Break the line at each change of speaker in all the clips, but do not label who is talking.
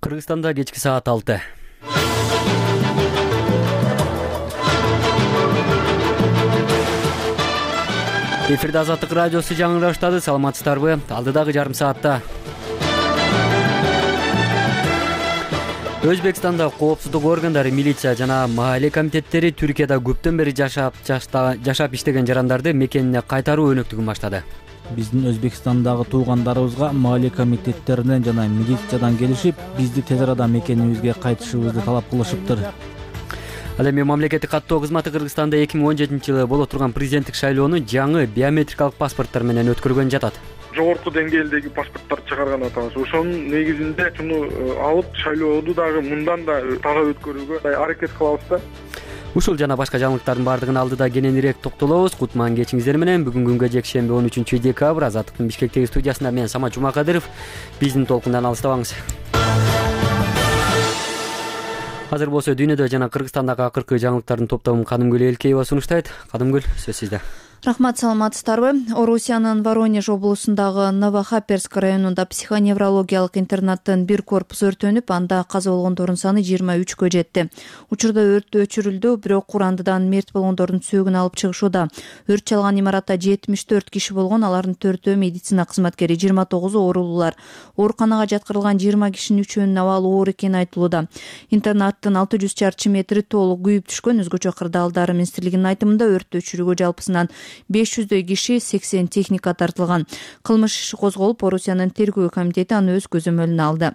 Кыргызстанда кечки саат 6. Эфирде Азаттык радиосу жаңылыштады. Саламатсыздарбы? Алдыдагы жарым саатта Өзбекстанда коопсуздук органдары, милиция жана маале комитеттери Түркияда көптөн бери жашап иштеген жарандарды мекенине кайтаруу өнөктүгүн баштады.
Биздин Өзбекстандагы туугандарыбызга маале комитеттеринен жана милициядан келишип, бизди тез арада мекенибизге кайтышыбызды талап кылышыптыр.
Ал эми мамлекеттик каттоо кызматы Кыргызстанда 2017-жылы боло турган президенттик шайлоону жаңы биометрикалык паспорттор менен өткөргөн жатат.
Жогорку деңгээлдеги паспорттор чыгарган атабыз. Ошонун негизинде шуну алып шайлооду дагы мындан да таза өткөрүүгө аракет кылабыз да.
Ушул жана башка жаңылыктардын бардыгын алдыда кененирээк токтолобуз. Кутман кечиңиздер менен. Бүгүн күнгө жекшемби 13-декабрь Азаттыктын Бишкектеги студиясында мен Самат Жумакадыров. Биздин толкундан алыстабаңыз. Азыр болсо дүйнөдө жана Кыргызстандагы акыркы жаңылыктардын топтомун Кадымгүл Элкеева сунуштайт. Кадымгүл, сөз сизде.
Рахмат, саламатсыздарбы? Орусиянын Воронеж облусундагы Новохаперск районунда психоневрологиялык интернаттын бир корпусу өртөнүп, анда каза болгондордун саны 23кө жетти. Учурда өрт өчүрүлдү, бирок курандыдан мерт болгондордун сөөгүн алып чыгышууда. Өрт чалган имаратта 74 киши болгон, алардын 4-өө медицина кызматкери, 29-у оорулуулар. Ооруканага жаткырылган 20 кишинин 3-өөнүн абалы оор экени айтылууда. Интернаттын 600 чарчы метри толук күйүп түшкөн. Өзгөчө Кырдаалдар министрлигинин айтымында өрттү өчүрүүгө жалпысынан 500дөй киши, 80 техника тартылган. Кылмыш иши козголуп, Орусиянын тергөө комитети аны өз көзөмөлүнө алды.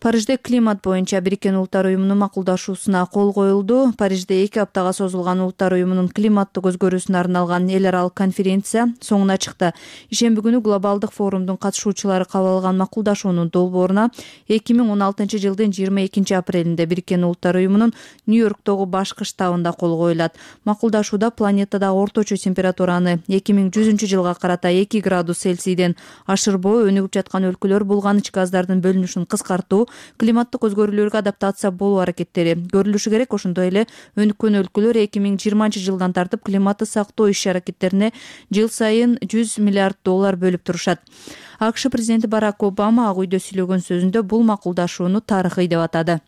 Парижде климат боюнча Бириккен Улуттар уюмунун макулдашуусуна кол коюлду. Парижде 2 аптага созулган Улуттар уюмунун климаттык өзгөрүүсүнө арналган эл аралык конференция соңуна чыкты. Ишемби күнү глобалдык форумдун катышуучулары кабыл алган макулдашуунун долбооруна 2016-жылдын 22-апрелинде Бириккен Улуттар уюмунун Нью-Йорктогу башкы штабында кол коюлат. Макулдашууда планетадагы орточо температураны 2100-жылга карата 2 градус Цельсийден ашырбоо, өнүгүп жаткан өлкөлөр булганыч газдардын бөлүнүшүн кыскартуу, климаттык өзгөрүүлөргө адаптация болуу аракеттери көрүлүшү керек. Ошондой эле өнүккөн өлкөлөр 2020-жылдан тартып климатты сактоо иш-аракеттерине жыл сайын $100 миллиард бөлүп турушат. АКШ президенти Барак Обама Ак үйдө сүйлөгөн сөзүндө бул макулдашууну тарыхый деп атады.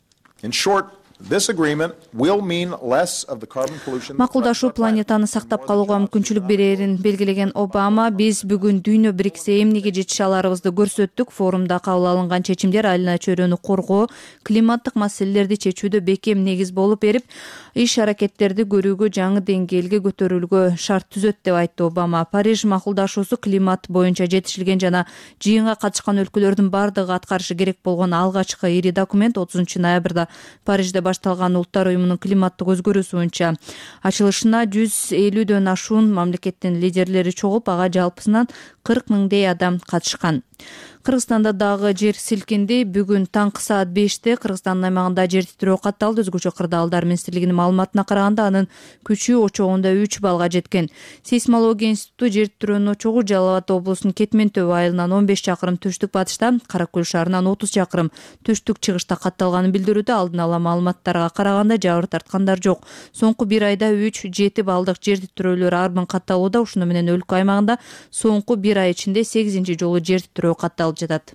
Макулдашуу планетаны сактап калууга мүмкүнчүлүк берерин белгилеген Обама, биз бүгүн дүйнө бириксе эмнеге жетише аларыбызды көрсөттүк. Форумда кабыл алынган чечимдер айылына чөйрөнү коргоо, климаттык маселелерди чечүүдө бекем негиз болуп берип, иш-аракеттерди көрүүгө жаңы деңгээлге көтөрүлүүгө шарт түзөт деп айтты Обама. Париж макулдашуусу климат боюнча жетишилген жана жыйынга катышкан өлкөлөрдүн бардыгы аткарышы керек болгон алгачкы ири документ. 30-ноябрда Парижде башталган Улуттар уюмунун климаттык өзгөрүүсү боюнча ачылышына 150дөн ашуун мамлекеттин лидерлери чогулуп, ага жалпысынан 40 миңдей адам катышкан. Кыргызстанда дагы жер силкинди. Бүгүн таңкы саат 5-те Кыргызстандын аймагында жер титирөө катталды. Өзгөчө Кырдаалдар министрлигинин маалыматына караганда, анын күчү очогунда 3 баллга жеткен. Сейсмология институту жер титирөөнүн очогу Жалал Абад облусунун Кетмен Төбө айылынан 15 чакырым түштүк батышта, Каракөл шаарынан 30 чакырым түштүк чыгышта катталганын билдирүүдө. Алдын ала маалыматтарга караганда жабыр тарткандар жок. Соңку 1 айда 3-7 баллдык жер титирөөлөр арбын катталууда. Ушуну менен өлкө аймагында соңку 1 ай ичинде 8-нчи жолу жер титирөө катталып жатат.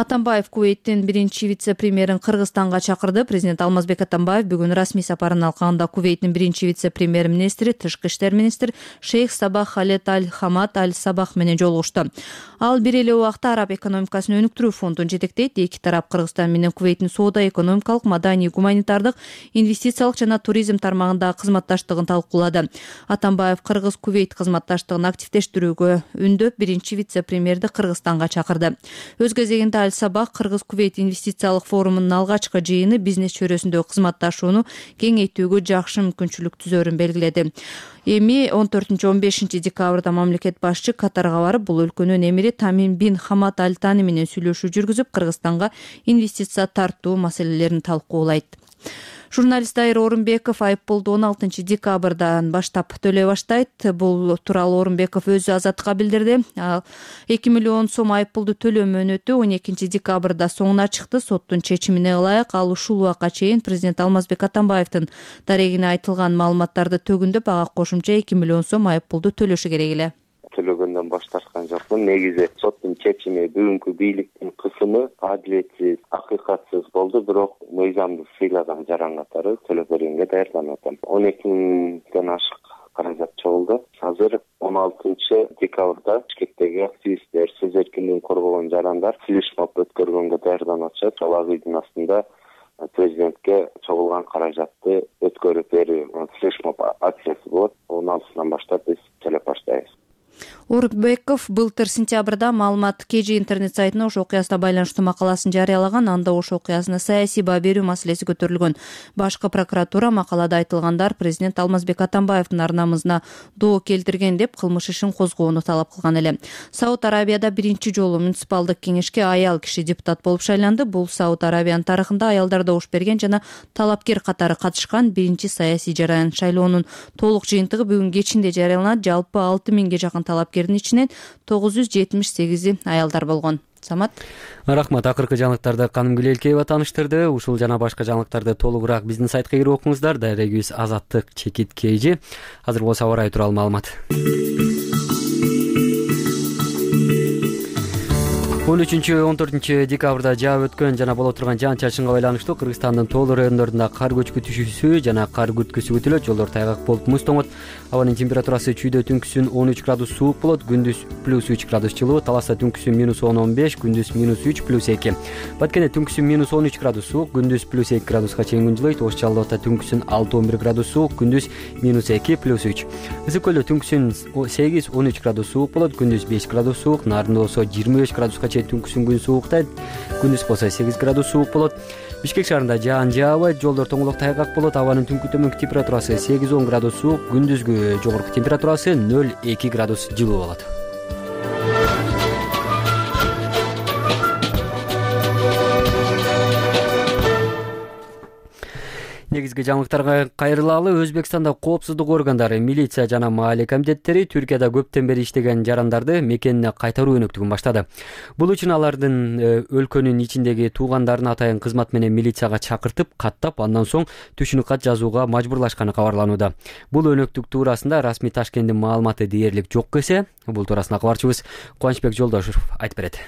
Атамбаев Кувейттин биринчи вице-премьерин Кыргызстанга чакырды. Президент Алмазбек Атамбаев бүгүн расмий сапарын алкагында Кувейттин биринчи вице-премьер-министри, тышкы иштер министри Шейх Сабах Халет Аль-Хамад Аль-Сабах менен жолугушту. Ал бир эле убакта араб экономикасын өнүктүрүү фондун жетектейт. Эки тарап Кыргызстан менен Кувейттин соода, экономикалык, маданий, гуманитардык, инвестициялык жана туризм тармагындагы кызматташтыгын талкуулады. Атамбаев Кыргыз-Кувейт кызматташтыгын активдештирүүгө үндөп, биринчи вице-премьерди Кыргызстанга чакырды. Өз кезегинде Аль-Сабах Кыргыз-Кувейт инвестициялык форумунун алгачкы жыйыны бизнес чөйрөсүндөгү кызматташууну кеңейтүүгө жакшы мүмкүнчүлүк түзөрүн белгиледи. Эми 14-15 декабрда мамлекет башчы Катарга барып, бул өлкөнүн эмири Тамим бин Хамад Аль Тани менен сүйлөшүү жүргүзүп, Кыргызстанга инвестиция тартуу маселелерин талкуулайт. Журналист Айыр Орунбеков айыппулду 16 декабрдан баштап төлөй баштайт. Бул тууралуу Орунбеков өзү Азаттыкка билдирди. 2 миллион сом айыппулду төлөө мөөнөтү 12 декабрда соңуна чыкты. Соттун чечимине ылайык ал ушул убакка чейин президент Алмазбек Атамбаевдин дарегине айтылган маалыматтарды төгүндөп, ага кошумча 2 миллион сом айыппулду төлөшү керек эле.
Төлөгөндөн баш тарткан жокмун. Негизи соттун чечими, бүгүнкү бийликтин кысымы адилетсиз, акыйкатсыз болду, бирок мыйзамды сыйлаган жаран катары төлөп бергенге даярданып атам. 12 миңден ашык каражат чогулду. Азыр 16 декабрда Бишкектеги активисттер, сөз эркиндигин коргогон жарандар флешмоб өткөргөнгө даярданып атышат. Ошол ыйдын астында президентке чогулган каражатты өткөрүп берүү флешмоб акциясы болот. 16-сынан баштап биз төлөп баштайбыз.
Орукбеков былтыр сентябрда маалымат KG интернет сайтына ош окуясына байланыштуу макаласын жарыялаган. Анда ош окуясына саясий баа берүү маселеси көтөрүлгөн. Башкы прокуратура макалада айтылгандар президент Алмазбек Атамбаевдин ар намысына доо келтирген деп кылмыш ишин козгоону талап кылган эле. Сауд Арабияда биринчи жолу муниципалдык кеңешке аял киши депутат болуп шайланды. Бул Сауд Арабиянын тарыхында аялдар добуш берген жана талапкер катары катышкан биринчи саясий жараян. Шайлоонун толук жыйынтыгы бүгүн кечинде жарыяланат. Жалпы 6 миңге жакын талапкердин ичинен 978 аялдар болгон. Самат.
Рахмат. Акыркы жаңылыктарды Каным Гүлелкеева тааныштырды. Ушул жана башка жаңылыктарды толугураак биздин сайтка кирип окуңуздар. Дарегибиз Азаттык Чекит KG. Азыр болсо аба ырайы тууралуу маалымат. 13-14 декабрда жаап өткөн жана боло турган жаан-чачынга байланыштуу Кыргызстандын тоол райондорунда кар көчкү түшүүсү жана кар күрткүсү күтүлөт. Жолдор тайгак болуп муз тоңот. Абанын температурасы чүйдө түнкүсүн 13 градус суук болот, күндүз +3 градус жылуу, Таласта түнкүсүн -10-15, күндүз -3 +2. Баткенде түнкүсүн -13 градус суук, күндүз +2 градуска чейин күн жылыйт. Ош Жалалбатта түнкүсүн 6-11 градус суук, күндүз -2 +3. Ысык көлдө түнкүсүн 8-13 градус суук болот, күндүз 5 градус суук, Нарында болсо 25 градуска чейин түнкүсүн күн сууктайт, күндүз болсо 8 градус суук болот. Бишкек шаарында жаан жаабайт, жолдор тоңолок тайгак болот. Абанын түнкү төмөнкү температурасы 8-10 градус суук, күндүзгү жогорку температурасы 0-2 градус жылуу болот. Негизги жаңылыктарга кайрылалы. Өзбекстанда коопсуздук органдары, милиция жана маалия комитеттери Түркияда көптөн бери иштеген жарандарды мекенине кайтаруу өнөктүгүн баштады. Бул үчүн алардын өлкөнүн ичиндеги туугандарын атайын кызмат менен милицияга чакыртып, каттап, андан соң түшүнүк кат жазууга мажбурлашканы кабарланууда. Бул өнөктүк туурасында расмий Ташкенттин маалыматы дээрлик жок эсе. Бул туурасында кабарчыбыз Кубанычбек Жолдошев айтып берет.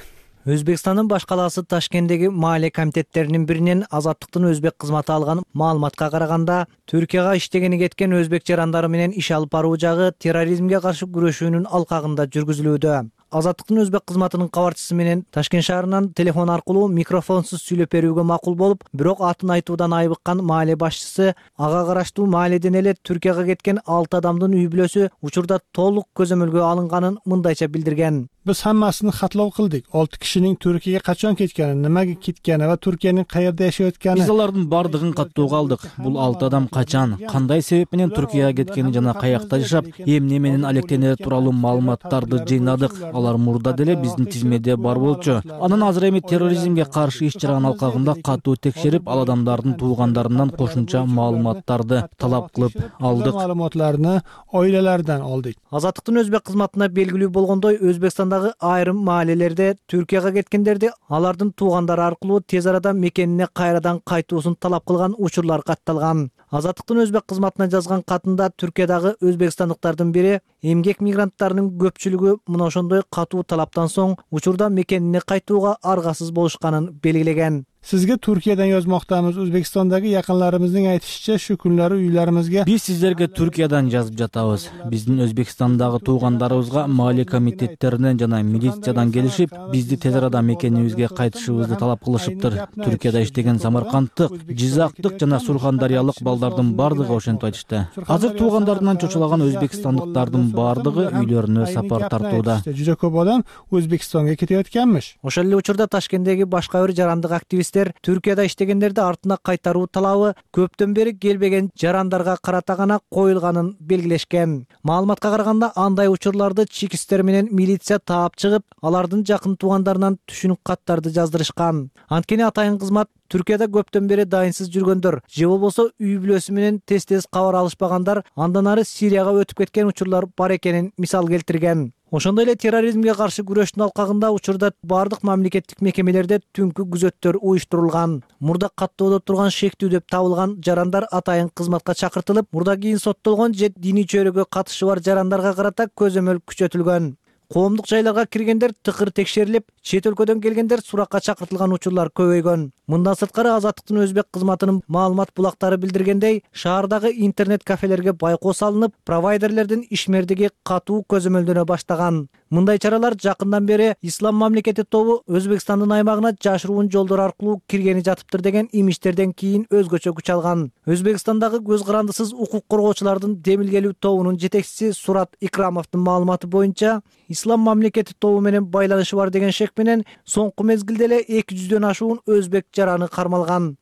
Өзбекстандын баш калаасы Ташкенттеги маалия комитеттеринин биринен Азаттыктын өзбек кызматы алган маалыматка караганда, Түркияга иштегени кеткен өзбек жарандары менен иш алып баруу жагы терроризмге каршы күрөшүүнүн алкагында жүргүзүлүүдө. Азаттыктын өзбек кызматынын кабарчысы менен Ташкент шаарынан телефон аркылуу микрофонсуз сүйлөп берүүгө макул болуп, бирок атын айтуудан айбыккан маалия башчысы ага караштуу маалияден эле Түркияга кеткен 6 адамдын үй бүлөсү учурда толук көзөмөлгө алынганын мындайча билдирген.
Biz hammasini xatlov qildik. 6 kishining Turkiyaga qachon ketgani, nimaga ketgani va Turkiyaning qayerda yashayotgani.
Биз алардын бардыгын каттоого алдык. Бул 6 адам качан, кандай себеп менен Түркияга кеткени жана каякта жашап, эмне менен алектенери тууралуу маалыматтарды жыйнадык. Алар мурда деле биздин тизмеде бар болчу. Анан азыр эми терроризмге каршы иш чаранын алкагында катуу текшерип, ал адамдардын туугандарынан кошумча маалыматтарды талап кылып алдык.
Маалыматтарды oilalaridan oldik.
Азаттыктын өзбек кызматына белгилүү болгондой, Өзбекстандагы айрым маалиялерде Түркияга кеткендерди алардын туугандары аркылуу тез арада мекенине кайрадан кайтуусун талап кылган учурлар катталган. Азаттыктын өзбек кызматына жазган катында Түркиядагы өзбекстандыктардын бири эмгек мигранттарынын көпчүлүгү мына ошондой катуу талаптан соң учурда мекенине кайтууга аргасыз болушканын белгилеген.
Sizga Turkiyadan yozmoqdamiz. O'zbekistondagi yaqinlarimizning aytishicha, shu kunlari uylarimizga
Биз сиздерге Түркиядан жазып жатабыз. Биздин Өзбекстандагы туугандарыбызга маалия комитеттеринен жана милициядан келишип, бизди тез арада мекенибизге кайтышыбызды талап кылышыптыр. Түркияда иштеген самаркандтык, жизактык жана сурхандариялык балдардын бардыгы ошентип айтышты. Азыр туугандарынан чочулаган өзбекстандыктардын бардыгы үйлөрүнө сапар тартууда.
Juda ko'p odam O'zbekistonga ketayotganmish.
Ошол эле учурда Ташкенттеги башка бир жарандык активист Түркияда иштегендерди артына кайтаруу талабы көптөн бери келбеген жарандарга карата гана коюлганын белгилешкен. Маалыматка караганда андай учурларды чекисттер менен милиция таап чыгып, алардын жакын туугандарынан түшүнүк каттарды жаздырышкан. Анткени атайын кызмат Түркияда көптөн бери дайынсыз жүргөндөр же болбосо үй бүлөсү менен тез кабар алышпагандар андан ары Сирияга өтүп кеткен учурлар бар экенин мисал келтирген. Ошондой эле терроризмге каршы күрөштүн алкагында учурда бардык мамлекеттик мекемелерде түнкү күзөттөр уюштурулган. Мурда каттоодо турган шектүү деп табылган жарандар атайын кызматка чакыртылып, мурда кийин соттолгон же диний чөйрөгө катышы бар жарандарга карата көзөмөл күчөтүлгөн. коомдук жайларга киргендер тыкыр текшерилип, чет өлкөдөн келгендер суракка чакыртылган учурлар көбөйгөн. Мындан сырткары Азаттыктын өзбек кызматынын маалымат булактары билдиргендей, шаардагы интернет кафелерге байкоо салынып, провайдерлердин ишмердиги катуу көзөмөлдөнө баштаган. Мындай чаралар жакындан бери Ислам мамлекети тобу Өзбекстандын аймагына жашыруун жолдор аркылуу киргени жатыптыр деген имичтерден кийин өзгөчө күч алган. Өзбекстандагы көз карандысыз укук коргоочулардын демилгелүү тобунун жетекчиси Сурат Икрамовдун маалыматы боюнча, Ислам мамлекети тобу менен байланышы бар деген шек менен соңку мезгилде эле 200дөн ашуун өзбек жараны кармалган.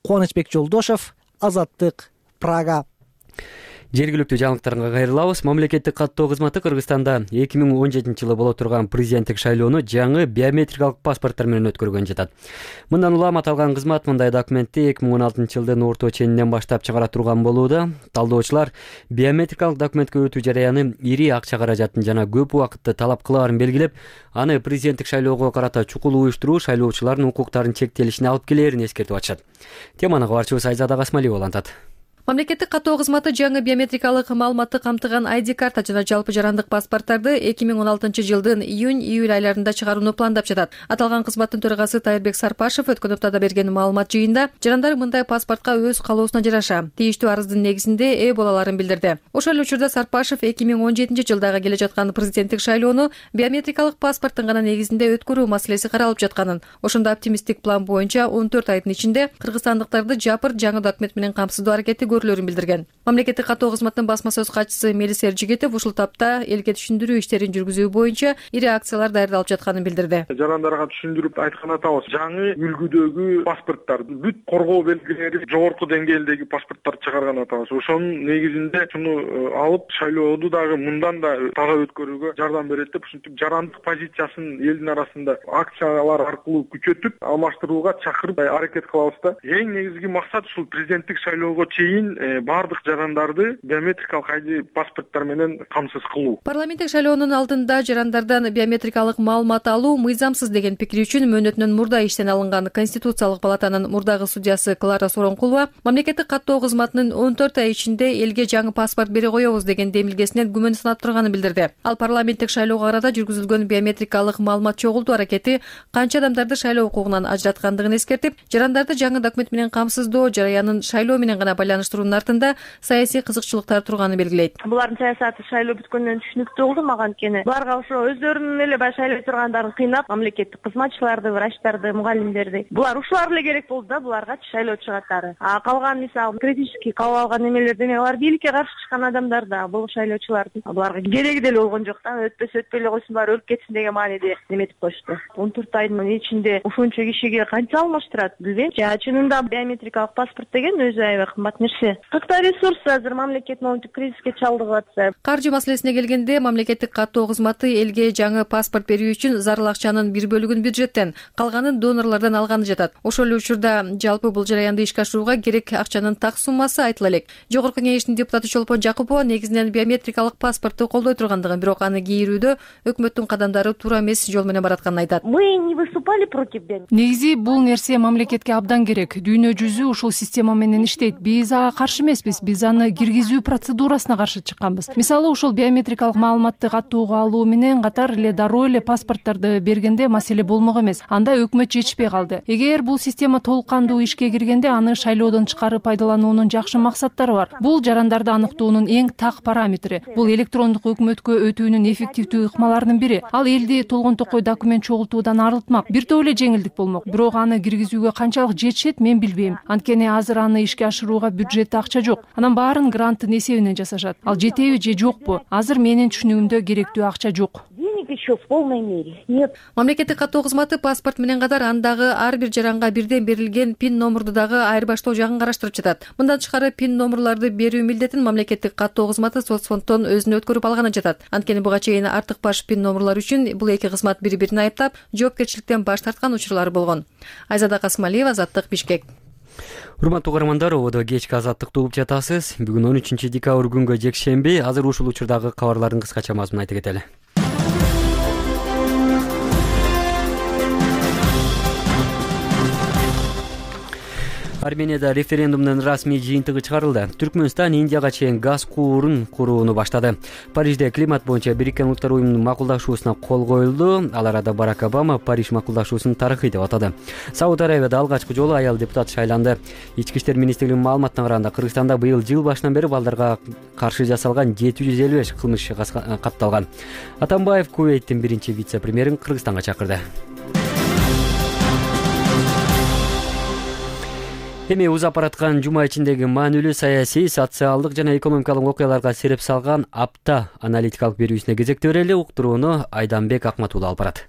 Кубанычбек Жолдошов, Азаттык, Прага.
Жергиликтүү жаңылыктарга кайрылабыз. Мамлекеттик каттоо кызматы Кыргызстанда 2017-жылы боло турган президенттик шайлоону жаңы биометрикалык паспорттор менен өткөргөн жатат. Мындан улам аталган кызмат мындай документти 2016-жылдын орто ченинен баштап чыгара турган болууда. Талдоочулар биометрикалык документке өтүү жараяны ири акча каражатын жана көп убакытты талап кылаарын белгилеп, аны президенттик шайлоого карата чукул уюштуруу шайлоочулардын укуктарынын чектелишине алып келээрин эскертип атышат. Теманы кабарчыбыз Айзада Касмалиева улантат.
Мамлекеттик каттоо кызматы жаңы биометрикалык маалыматты камтыган ID карта жана жалпы жарандык паспорттарды 2016-жылдын июнь-июль айларында чыгарууну пландап жатат. Аталган кызматтын төрагасы Тайырбек Сарпашев өткөн аптада берген маалымат жыйында жарандар мындай паспортко өз калоосуна жараша тийиштүү арыздын негизинде ээ боло аларын билдирди. Ошол эле учурда Сарпашев 2017-жылдагы келе жаткан президенттик шайлоону биометрикалык паспорттун гана негизинде өткөрүү маселеси каралып жатканын, ошондо оптимисттик план боюнча 14 айдын ичинде кыргызстандыктарды жапыр жаңы документ менен камсыздоо аракети көрүлөрүн билдирген. Мамлекеттик каттоо кызматынын басма сөз катчысы Мелис Эржигетов ушул тапта элге түшүндүрүү иштерин жүргүзүү боюнча ири акциялар даярдалып жатканын билдирди.
Жарандарга түшүндүрүп айткан атабыз, жаңы үлгүдөгү паспорттар, бүт коргоо белгилери жогорку деңгээлдеги паспорттар чыгарган атабыз. Ошонун негизинде шуну алып шайлооду дагы мындан да таза өткөрүүгө жардам берет деп, ушинтип жарандык позициясын элдин арасында акциялар аркылуу күчөтүп, алмаштырууга чакырып аракет кылабыз да. Эң негизги максат ушул президенттик шайлоого чейин бардык жарандарды биометрикалык ID паспорттор менен камсыз кылуу.
Парламенттик шайлоонун алдында жарандардан биометрикалык маалымат алуу мыйзамсыз деген пикир үчүн мөөнөтүнөн мурда иштен алынган Конституциялык палатанын мурдагы судьясы Клара Соронкулова мамлекеттик каттоо кызматынын 14 ай ичинде элге жаңы паспорт бере коебуз деген демилгесинен күмөн санап турганын билдирди. Ал парламенттик шайлоого карата жүргүзүлгөн биометрикалык маалымат чогултуу аракети канча адамдарды шайлоо укугунан ажыраткандыгын эскертип, жарандарды жаңы документ менен камсыздоо жараянын шайлоо менен гана байланыштыруунун артында саясий кызыкчылыктар турганын белгилейт.
Булардын саясаты шайлоо бүткөндөн түшүнүктүү болду мага, анткени буларга ошо өздөрүнүн эле баягы шайлоо тургандарын кыйнап, мамлекеттик кызматчыларды, врачтарды, мугалимдерди булар ушулар эле керек болду да, буларга шайлоо чыгаттары. Калган мисалы критический кабыл алган немелер деме, алар бийликке каршы чыккан адамдар да, бул шайлоочулардын буларга кереги деле болгон жок да, өтпөй эле койсун, баары өлүп кетсин деген мааниде неметип коюшту. 14 айдын ичинде ушунча кишиге канча алмаштырат билбейм. Чынында биометрикалык паспорт деген өзү аябай кымбат нерсе. Кыркта ресурс азыр мамлекет момунтип кризиске чалдыгып атса.
Каржы маселесине келгенде мамлекеттик каттоо кызматы элге жаңы паспорт берүү үчүн зарыл акчанын бир бөлүгүн бюджеттен, калганын донорлордон алганы жатат. Ошол эле учурда жалпы бул жараянды ишке ашырууга керек акчанын так суммасы айтыла элек. Жогорку кеңештин депутаты Чолпон Жакупова негизинен биометрикалык паспортду колдой тургандыгын, бирок аны кийрүүдө өкмөттүн кадамдары туура эмес жол менен баратканын айтат.
Мы не выступали против биометрики.
Негизи бул нерсе мамлекетке абдан керек. Дүйнө жүзү ушул система менен иштейт. Биз ага каршы эмеспиз. Биз аны киргизүү процедурасына каршы чыкканбыз. Мисалы, ушул биометрикалык маалыматты каттоого алуу менен катар эле дароо эле паспортторду бергенде маселе болмок эмес. Анда өкмөт жетишпей калды. Эгер бул система толук кандуу ишке киргенде, аны шайлоодон чыгарып пайдалануунун жакшы максаттары бар. Бул жарандарды аныктоонун эң так параметри. Бул электрондук өкмөткө өтүүнүн эффективдүү ыкмаларынын бири. Ал элди толгонтокой документ чогултуудан арылтмак. Бир топ эле жеңилдик болмок. Бирок аны киргизүүгө канчалык жетишет мен билбейм. Анткени азыр аны ишке ашырууга бюджетте акча жок. Анан баарын гранттын эсебинен жасашат. Ал жетеби же жокпу? Азыр менин түшүнүгүмдө керектүү акча жок.
Еще в полной мере. Нет.
Мамлекеттик каттоо кызматы паспорт менен катар андагы ар бир жаранга бирден берилген пин номурду дагы айырбаштоо жагын караштырып жатат. Мындан тышкары пин номурларды берүү милдетин мамлекеттик каттоо кызматы соцфонддон өзүнө өткөрүп алганы жатат. Анткени буга чейин артык баш пин номурлар үчүн бул эки кызмат бири-бирин айыптап, жоопкерчиликтен баш тарткан учурлары болгон. Айзада Касмалиева, Азаттык, Бишкек.
Урматтуу угармандар, ободо кечки Азаттыкты угуп жатасыз. Бүгүн 13 декабрь күнгө жекшемби. Азыр ушул учурдагы кабарлардын кыскача мазмунун айта кетели. Арменияда референдумдун расмий жыйынтыгы чыгарылды. Түркмөнстан Индияга чейин газ куурун курууну баштады. Парижде климат боюнча Бириккен Улуттар уюмунун макулдашуусуна кол коюлду. Ал арада Барак Обама Париж макулдашуусун тарыхый деп атады. Сауд Арабияда алгачкы жолу аял депутат шайланды. Ички иштер министрлигинин маалыматына караганда Кыргызстанда быйыл жыл башынан бери балдарга каршы жасалган 755 кылмыш катталган. Атамбаев Кувейттин биринчи вице-премьерин Кыргызстанга чакырды. Эми узап бараткан жума ичиндеги маанилүү саясий, социалдык жана экономикалык окуяларга сереп салган апта аналитикалык берүүсүнө кезекти берели. Уктурууну Айданбек Акматуулу алып барат.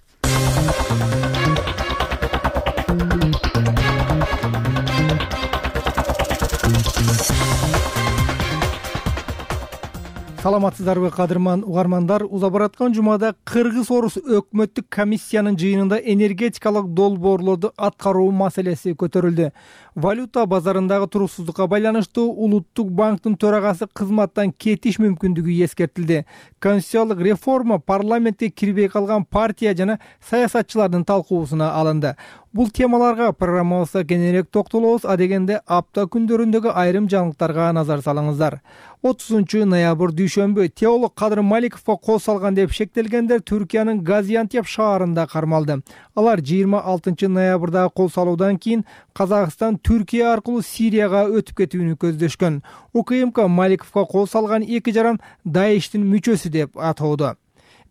Саламатсыздарбы кадырман угармандар, узап бараткан жумада Кыргыз-Орус өкмөттүк комиссиянын жыйынында энергетикалык долбоорлорду аткаруу маселеси көтөрүлдү. Валюта базарындагы туруксуздукка байланыштуу Улуттук банктын төрагасы кызматтан кетиш мүмкүндүгү эскертилди. Конституциялык реформа парламентке кирбей калган партия жана саясатчылардын талкуусуна алынды. Бул темаларга программабызда кененирээк токтолобуз, адегенде апта күндөрүндөгү айрым жаңылыктарга назар салыңыздар. 30-ноябрь дүйшөмбү теолог Кадыр Маликовго кол салган деп шектелгендер Түркиянын Газиантеп шаарында кармалды. Алар 26-ноябрда кол салуудан кийин Казакстан Түркия аркылуу Сирияга өтүп кетүүнү көздөшкөн. УКМК Маликовго кол салган эки жаран Даиштин мүчөсү деп атоодо.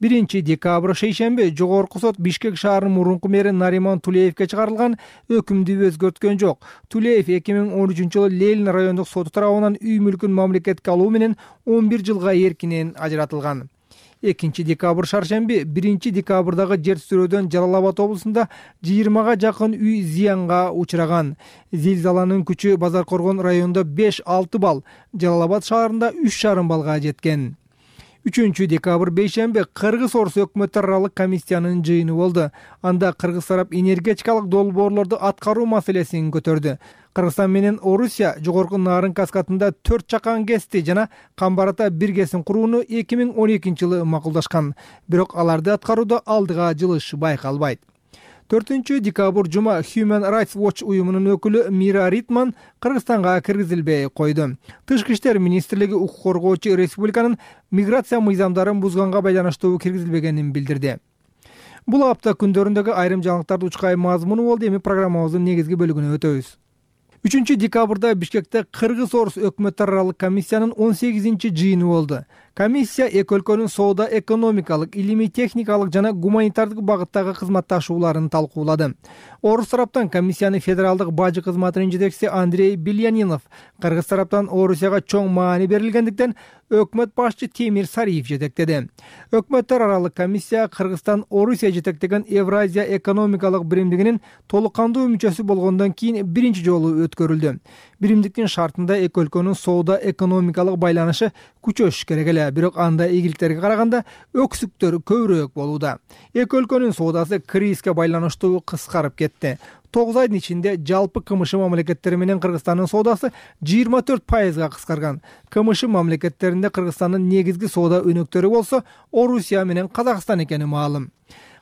1-декабрь шейшемби Жогорку сот Бишкек шаарынын мурунку мэри Нариман Тулеевге чыгарылган өкүмдү өзгөрткөн жок. Тулеев 2013-жылы Ленин райондук соту тарабынан үй мүлкүн мамлекетке алуу менен 11 жылга эркинен ажыратылган. 2-декабрь шаршемби 1-декабрдагы жер титирөөдөн Жалал-Абад облусунда 20га жакын үй зыянга учураган. Зилзаланын күчү Базаркоргон районунда 5-6 балл, Жалал-Абад шаарында 3,5 баллга жеткен. 3-декабрь бейшемби Кыргыз-Орус өкмөттөр аралык комиссиянын жыйыны болду. Анда Кыргыз тарап энергетикалык долбоорлорду аткаруу маселесин көтөрдү. Кыргызстан менен Орусия жогорку Нарын каскадында 4 чакан ГЭСти жана Камбарата 1 ГЭСин курууну 2012-жылы макулдашкан. Бирок аларды аткарууда алдыга жылыш байкалбайт. 4-декабрь жума Human Rights Watch уюмунун өкүлү Мира Ритман Кыргызстанга киргизилбей койду. Тышкы иштер министрлиги укук коргоочу республиканын миграция мыйзамдарын бузганга байланыштуу киргизилбегенин билдирди. Бул апта күндөрүндөгү айрым жаңылыктарды учкай мазмуну болду. Эми программабыздын негизги бөлүгүнө өтөбүз. 3-декабрда Бишкекте Кыргыз-Орус өкмөттөр аралык комиссиянын 18-чи жыйыны болду. Комиссия эки өлкөнүн соода, экономикалык, илимий техникалык жана гуманитардык багыттагы кызматташууларын талкуулады. Орус тараптан комиссиянын федералдык бажы кызматынын жетекчиси Андрей Белянинов, Кыргыз тараптан Орусияга чоң маани берилгендиктен өкмөт башчы Темир Сариев жетектеди. Өкмөттөр аралык комиссия Кыргызстан Орусия жетектеген Евразия экономикалык биримдигинин толук кандуу мүчөсү болгондон кийин биринчи жолу өткөрүлдү. Биримдиктин шартында эки өлкөнүн соода экономикалык байланышы күчөш керек эле, бирок анда ийгиликтерге караганда өксүктөр көбүрөөк болууда. Эки өлкөнүн соодасы кризиске байланыштуу кыскарып кетти. 9 айдын ичинде жалпы КМШ мамлекеттери менен Кыргызстандын соодасы 24%га кыскарган. КМШ мамлекеттеринде Кыргызстандын негизги соода өнөктөрү болсо Орусия менен Казакстан экени маалым.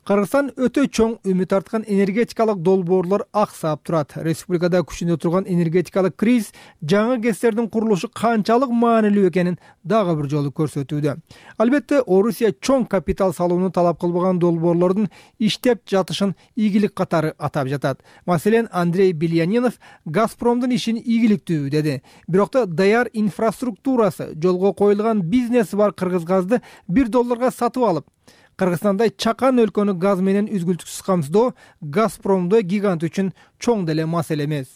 Кыргызстан өтө чоң үмүт арткан энергетикалык долбоорлор аксап турат. Республикада күчүндө турган энергетикалык кризис жаңы ГЭСтердин курулушу канчалык маанилүү экенин дагы бир жолу көрсөтүүдө. Албетте, Орусия чоң капитал салууну талап кылбаган долбоорлордун иштеп жатышын ийгилик катары атап жатат. Маселен, Андрей Белянинов Газпромдун ишин ийгиликтүү деди. Бирок да даяр инфраструктурасы, жолго коюлган бизнеси бар Кыргыз газды $1 сатып алып, Кыргызстандай чакан өлкөнү газ менен үзгүлтүксүз камсыздоо Газпромдо гигант үчүн чоң деле маселе эмес.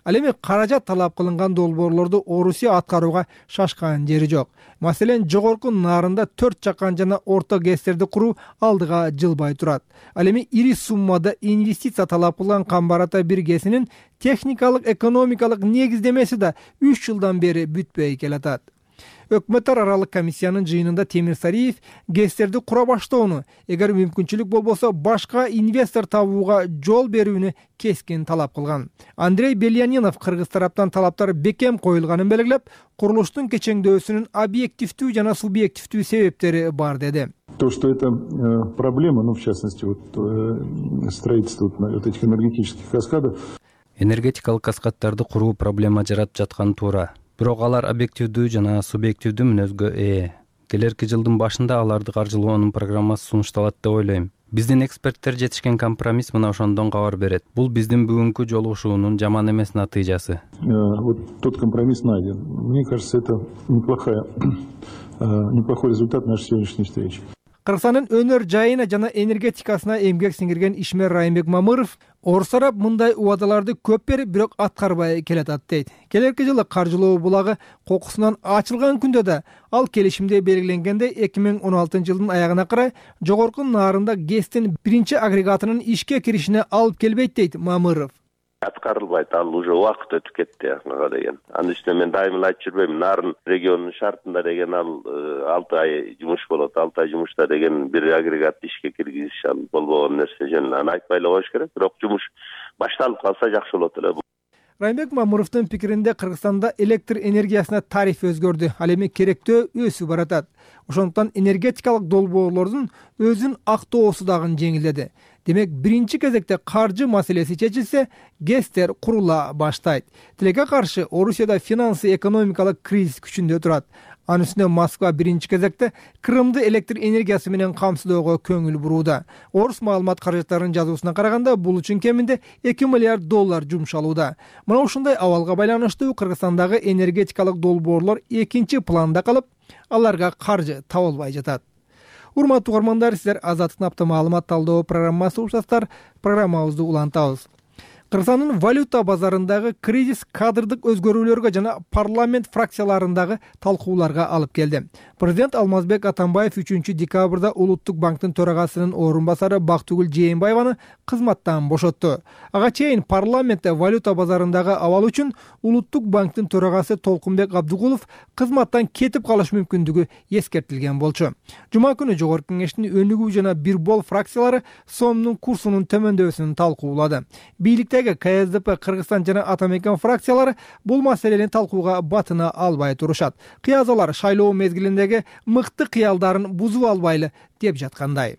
Ал эми каражат талап кылынган долбоорлорду Орусия аткарууга шашкан жери жок. Маселен, жогорку Нарында 4 чакан жана орто ГЭСтерди куруу алдыга жылбай турат. Ал эми ири суммада инвестиция талап кылган Камбарата 1 ГЭСинин техникалык, экономикалык негиздемеси да 3 жылдан бери бүтпөй келатат. Өкмөттөр аралык комиссиянын жыйынында Темир Сариев ГЭСтерди кура баштоону, эгер мүмкүнчүлүк болбосо башка инвестор табууга жол берүүнү кескин талап кылган. Андрей Белянинов Кыргыз тараптан талаптар бекем коюлганын белгилеп, курулуштун кечеңдөөсүнүн объективдүү жана субъективдүү себептери бар деди.
То, что это проблема, в частности, строительство этих энергетических каскадов. энергетикалык каскаддарды куруу проблема жаратып жатканы туура. Бирок алар объективдүү жана субъективдүү мүнөзгө ээ. Келерки жылдын башында аларды каржылоонун программасы сунушталат деп ойлойм. Биздин эксперттер жетишкен компромисс мына ошондон кабар берет. Бул биздин бүгүнкү жолугушуунун жаман эмес натыйжасы.
Вот тот компромисс найден. Мне кажется, это неплохой результат нашей сегодняшней встречи.
Кыргызстандын өнөр жайына жана энергетикасына эмгек сиңирген ишмер Райымбек Мамыров орус тарап мындай убадаларды көп берип, бирок аткарбай келатат дейт. Келерки жылы каржылоо булагы кокусунан ачылган күндө да ал келишимде белгиленгендей 2016 жылдын аягына карай жогорку наарында ГЭСтин биринчи агрегатынын ишке киришине алып келбейт дейт Мамыров.
Аткарылбайт, ал уже убакыт өтүп кетти ага деген. Анын үстүнө мен дайыма айтып жүрбөйм, Нарын регионунун шартында деген ал 6 ай жумуш болот, 6 ай жумушта деген бир агрегатты ишке киргизиш ал болбогон нерсе. Жөн аны айтпай эле коюш керек, бирок жумуш башталып калса жакшы болот эле.
Райымбек Мамыровдун пикиринде Кыргызстанда электр энергиясына тариф өзгөрдү, ал эми керектөө өсүп баратат. Ошондуктан энергетикалык долбоорлордун өзүн актоосу дагы жеңилдеди. Демек, биринчи кезекте каржы маселеси чечилсе, ГЭСтер курула баштайт. Тилекке каршы Орусияда финансы экономикалык кризис күчүндө турат. Анын үстүнө Москва биринчи кезекте Крымды электр энергиясы менен камсыздоого көңүл бурууда. Орус маалымат каражаттарынын жазуусуна караганда, бул үчүн кеминде $2 миллиард жумшалууда. Мына ушундай абалга байланыштуу Кыргызстандагы энергетикалык долбоорлор экинчи планда калып, аларга каржы табылбай жатат. Урматтуу угармандар, сиздер Азаттык апта маалымат талдоо программасы угушасыздар. Программабызды улантабыз. Кыргызстандын валюта базарындагы кризис кадрдык өзгөрүүлөргө жана парламент фракцияларындагы талкууларга алып келди. Президент Алмазбек Атамбаев 3 декабрда Улуттук банктын төрагасынын орун басары Бактыгүл Жээнбаеваны кызматтан бошотту. Ага чейин парламентте валюта базарындагы абал үчүн Улуттук банктын төрагасы Толкунбек Абдыгулов кызматтан кетип калыш мүмкүндүгү эскертилген болчу. Жума күнү Жогорку Кеңештин өнүгүү жана Бирбол фракциялары сомдун курсунун төмөндөбөсүн талкуулады. Бийликтеги КСДП, Кыргызстан жана Атамекен фракциялары бул маселени талкууга батына албай турушат. Кыязалар шайлоо мезгилиндеги мыкты кыялдарын бузуп албайлы деп жаткандай.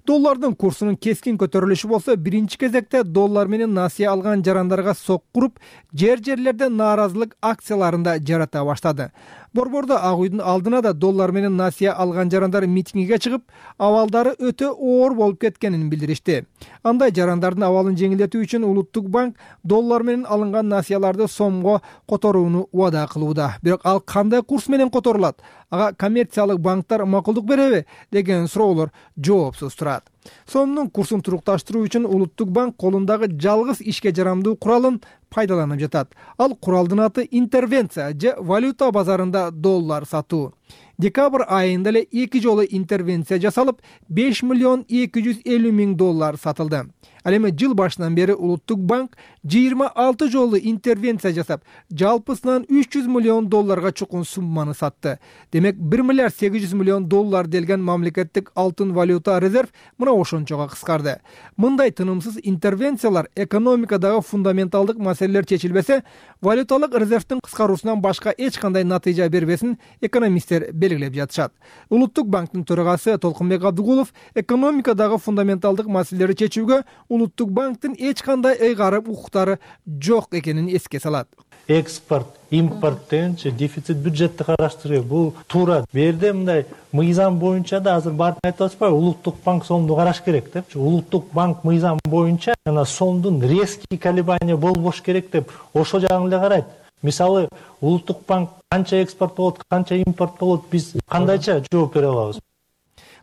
Доллардын курсунун кескин көтөрүлүшү болсо, биринчи кезекте доллар менен насыя алган жарандарга сок куруп, жерлерде нааразылык акцияларында жарата баштады. Борбордо Ак үйдүн алдына да доллар менен насыя алган жарандар митингиге чыгып, абалдары өтө оор болуп кеткенин билдиришти. Андай жарандардын абалын жеңилдетүү үчүн Улуттук банк доллар менен алынган насыяларды сомго которууну убада кылууда. Бирок ал кандай курс менен которулат? Ага коммерциялык банктар макулдук береби деген суроолор жоопсуз турат. Сомдун курсун турукташтыруу үчүн Улуттук банк колундагы жалгыз ишке жарамдуу куралын пайдаланып жатат. Ал куралдын аты интервенция же валюта базарында доллар сатуу. Декабрь айында эле 2 жолу интервенция жасалып, $5,250,000 сатылды. Ал эми жыл башынан бери Улуттук банк 26 жолу интервенция жасап, жалпысынан $300 миллион чукун сумманы сатты. Демек, $1,8 миллион делген мамлекеттик алтын валюта резерв мына ошончого кыскарды. Мындай тынымсыз интервенциялар экономикадагы фундаменталдык маселелер чечилбесе, валюталык резервдин кыскаруусунан башка эч кандай натыйжа бербесин экономисттер белгилеп жатышат. Улуттук банктын төрагасы Толкунбек Абдыгулов экономикадагы фундаменталдык маселелерди чечүүгө Улуттук банктын эч кандай ыйгарым укуктары жок экенин эске салат.
Экспорт, импорт дегенче дефицит бюджетти караштыруу бул туура. Берде мындай мыйзам боюнча да азыр баарын айтып атышпайбы, Улуттук банк сомду караш керек депчи. Улуттук банк мыйзам боюнча жана сомдун резкий колебания болбош керек деп ошол жагын эле карайт. Мисалы, Улуттук банк канча экспорт болот, канча импорт болот, биз кандайча жооп бере алабыз?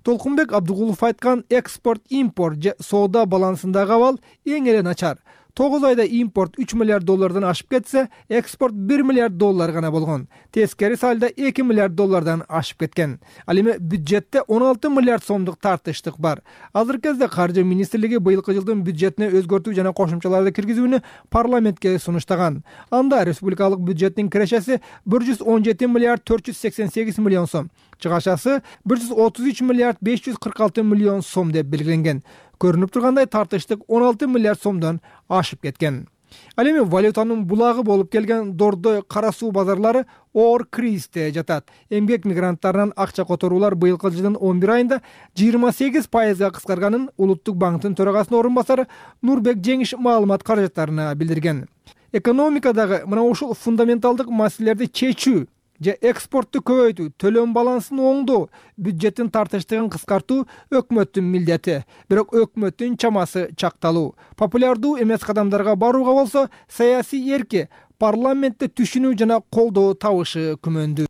Толкунбек Абдыгулов айткан экспорт-импорт же соода балансындагы абал эң эле начар. 9 айда импорт $3 миллиард ашып кетсе, экспорт $1 миллиард гана болгон. Тескери салда $2 миллиард ашып кеткен. Ал эми бюджетте 16 миллиард сомдук тартыштык бар. Азыркы кезде Каржы министрлиги быйылкы жылдын бюджетине өзгөртүү жана кошумчаларды киргизүүнү парламентке сунуштаган. Анда республикалык бюджеттин кирешеси $117 миллиард 488 миллион сом, чыгашасы $133 миллиард 546 миллион сом деп белгиленген. Көрүнүп тургандай, тартыштык 16 миллиард сомдон ашып кеткен. Ал эми валютанын булагы болуп келген Дордой кара суу базарлары оор кризисте жатат. Эмгек мигранттарынан акча которуулар быйылкы жылдын 11 айында 28% кыскарганын Улуттук банктын төрагасынын орун басары Нурбек Жеңиш маалымат каражаттарына билдирген. Экономикадагы мына ушул фундаменталдык маселелерди чечүү же экспортту көбөйтүү, төлөм балансын оңдоо, бюджеттин тартыштыгын кыскартуу өкмөттүн милдети. Бирок өкмөттүн чамасы чакталуу. Популярдуу эмес кадамдарга барууга болсо, саясий эрки парламентте түшүнүү жана колдоо табышы күмөндүү.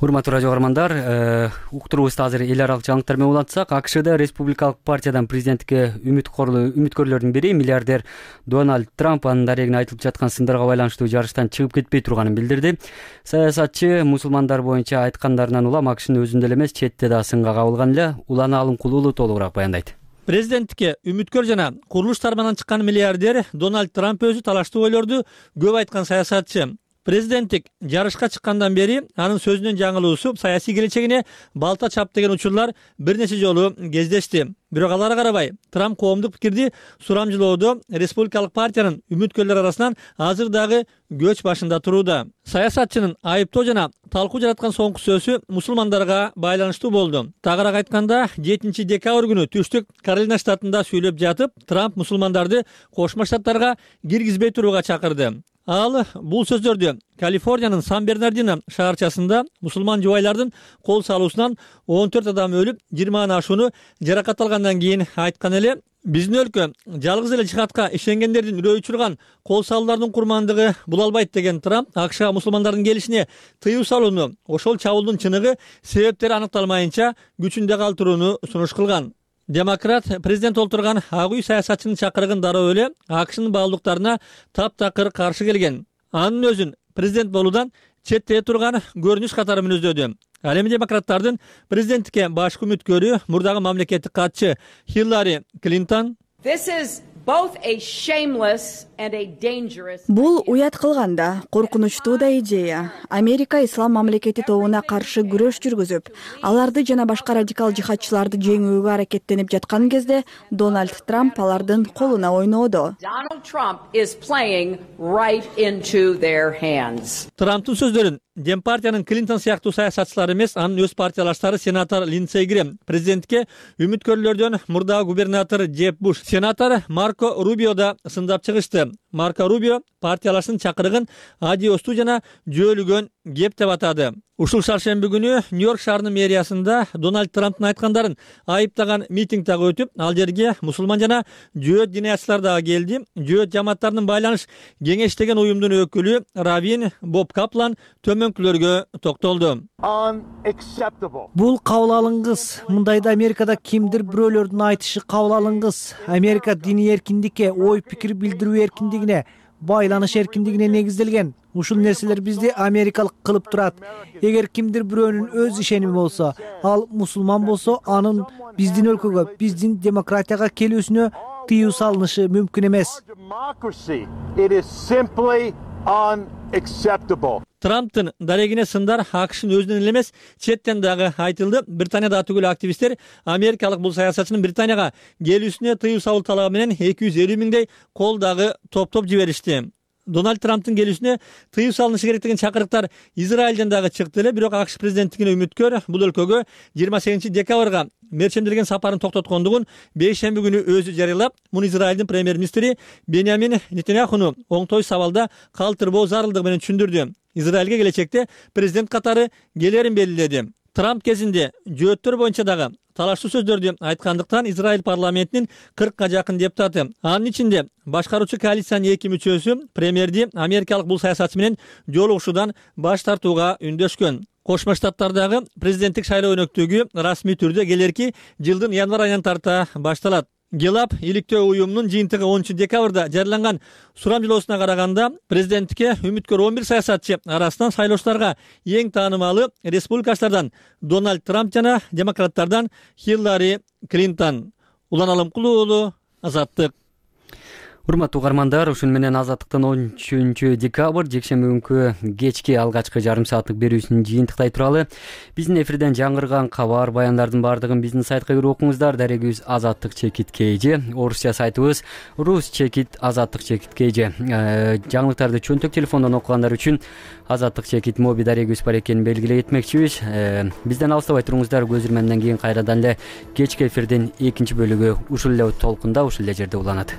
Урматтуу радио каармандар, уктуруубузду азыр эл аралык жаңылыктар менен улантсак, АКШда республикалык партиядан президенттикке үмүткөрлөрдүн бири миллиардер Дональд Трамп анын дарегине айтылып жаткан сындарга байланыштуу жарыштан чыгып кетпей турганын билдирди. Саясатчы мусулмандар боюнча айткандарынан улам АКШнын өзүндө эле эмес, четте да сынга кабылган эле. Улан Алымкулуулу толугураак баяндайт.
Президенттикке үмүткөр жана курулуш тармагынан чыккан миллиардер Дональд Трамп өзү талаштуу ойлорду көп айткан саясатчы. Президенттик жарышка чыккандан бери анын сөзүнүн жаңылуусу саясий келечегине балта чап деген учурлар бир нече жолу кездешти. Бирок аларга карабай, Трамп коомдук пикирди сурамжылоодо республикалык партиянын үмүткөрлөр арасынан азыр дагы көч башында турууда. Саясатчынын айыптоо жана талкуу жараткан соңку сөзү мусулмандарга байланыштуу болду. Тагыраак айтканда, 7 декабрь күнү түштүк Каролина штатында сүйлөп жатып, Трамп мусулмандарды Кошмо Штаттарга киргизбей турууга чакырды. Ал бул сөздөрдү Калифорниянын Сан-Бернардино шаарчасында мусулман жубайлардын кол салуусунан 14 адам өлүп, 20 ашууну жаракат алгандан кийин айткан эле. Биздин өлкө жалгыз эле жихадка ишенгендердин үрөй учурган кол салуулардын курмандыгы була албайт деген Трамп АКШга мусулмандардын келишине тыюу салууну, ошол чабуулдун чыныгы себептери аныкталмайынча күчүндө калтырууну сунуш кылган. Демократ президент олтурган ак үй саясатчынын чакырыгын дароо эле АКШнын баалуулуктарына таптакыр каршы келген. Анын өзүн президент болуудан четте турган көрүнүш катары мүнөздөдү. Ал эми демократтардын президенттикке башкы үмүткөрү мурдагы мамлекеттик катчы Хиллари Клинтон
Бул уят кылганда коркунучтуу да идея. Америка ислам мамлекети тобуна каршы күрөш жүргүзүп, аларды жана башка радикал жихадчыларды жеңүүгө аракеттенип жаткан кезде Дональд Трамп алардын колуна ойноодо.
Трамптын сөздөрүн Дем партиянын Клинтон сыяктуу саясатчылар эмес, анын өз партиялаштары сенатор Линдсей Грэм, президентке үмүткөрлөрдөн мурдагы губернатор Джеб Буш, сенатор Марко Рубио да сындап чыгышты. Марко Рубио партиялаштын чакырыгын адиостуу жана жөөлүгөн кеп деп атады. Ушул шаршемби күнү Нью-Йорк шаарынын мэриясында Дональд Трамптын айткандарын айыптаган митинг дагы өтүп, ал жерге мусулман жана жөөт диниячылар дагы келди. Жөөт жамааттарынын байланыш кеңештеген уюмдун өкүлү Равин Боб Каплан төмөнкүлөргө токтолду.
Бул кабыл алынгыс. Мындайда Америкада кимдир бирөөлөрдүн айтышы кабыл алынгыс. Америка диний эркиндикке, ой пикир билдирүү эркиндигине, байланыш эркиндигине негизделген. Ушул нерселер бизди америкалык кылып турат. Эгер кимдир бирөөнүн өз ишеними болсо, ал мусулман болсо, анын биздин өлкөгө, биздин демократияга келүүсүнө тыюу салынышы мүмкүн эмес.
Трамптын дарегине сындар АКШнын өзүнөн эле эмес, четтен дагы айтылды. Британияда түгүл активисттер америкалык бул саясатчынын Британияга келүүсүнө тыюу салуу талабы менен 250 миңдей кол дагы топтоп жиберишти. Дональд Трамптын келүүсүнө тыюу салынышы керек деген чакырыктар Израилден дагы чыкты эле, бирок АКШ президенттигине үмүткөр бул өлкөгө 28 декабрга мерчемделген сапарын токтоткондугун бейшемби күнү өзү жарыялап, муну Израилдин премьер-министри Беньямин Нетаньяхуну оңтой сабалда калтырбоо зарылдыгы менен түшүндүрдү. Израилге келечекте президент катары келерин белгиледи. Трамп кезинде жөөттөр боюнча дагы талаштуу сөздөрдү айткандыктан Израиль парламентинин 40га жакын депутаты, анын ичинде башкаруучу коалициянын 2 мүчөсү премьерди америкалык бул саясатчы менен жолугушуудан баш тартууга үндөшкөн. Кошмо Штаттардагы президенттик шайлоо өнөктүгү расмий түрдө келерки жылдын январь айынан тарта башталат. Гелап иликтөө уюмунун жыйынтыгы 10 декабрда жарыяланган сурамжылоосуна караганда, президенттикке үмүткөр 11 саясатчы арасынан шайлоочуларга эң таанымалы республикачылардан Дональд Трамп жана демократтардан Хиллари Клинтон. Улан Алымкулуу, Азаттык.
урматтуу угармандар, ушуну менен Азаттыктын 13 декабрь жекшемби күнкү кечки алгачкы жарым сааттык берүүсүн жыйынтыктай туралы. Биздин эфирден жаңырган кабар, баяндардын баардыгын биздин сайтка кирип окуңуздар. Дарегибиз Азаттык чекит KG, орусча сайтыбыз Рус чекит Азаттык чекит KG. Жаңылыктарды чөнтөк телефондон окугандар үчүн Азаттык чекит моби дарегибиз бар экенин белгилей кетмекчибиз. Бизден алыстабай туруңуздар. Көз ирмемден кийин кайрадан эле кечки эфирдин экинчи бөлүгү ушул эле толкунда, ушул эле жерде уланат.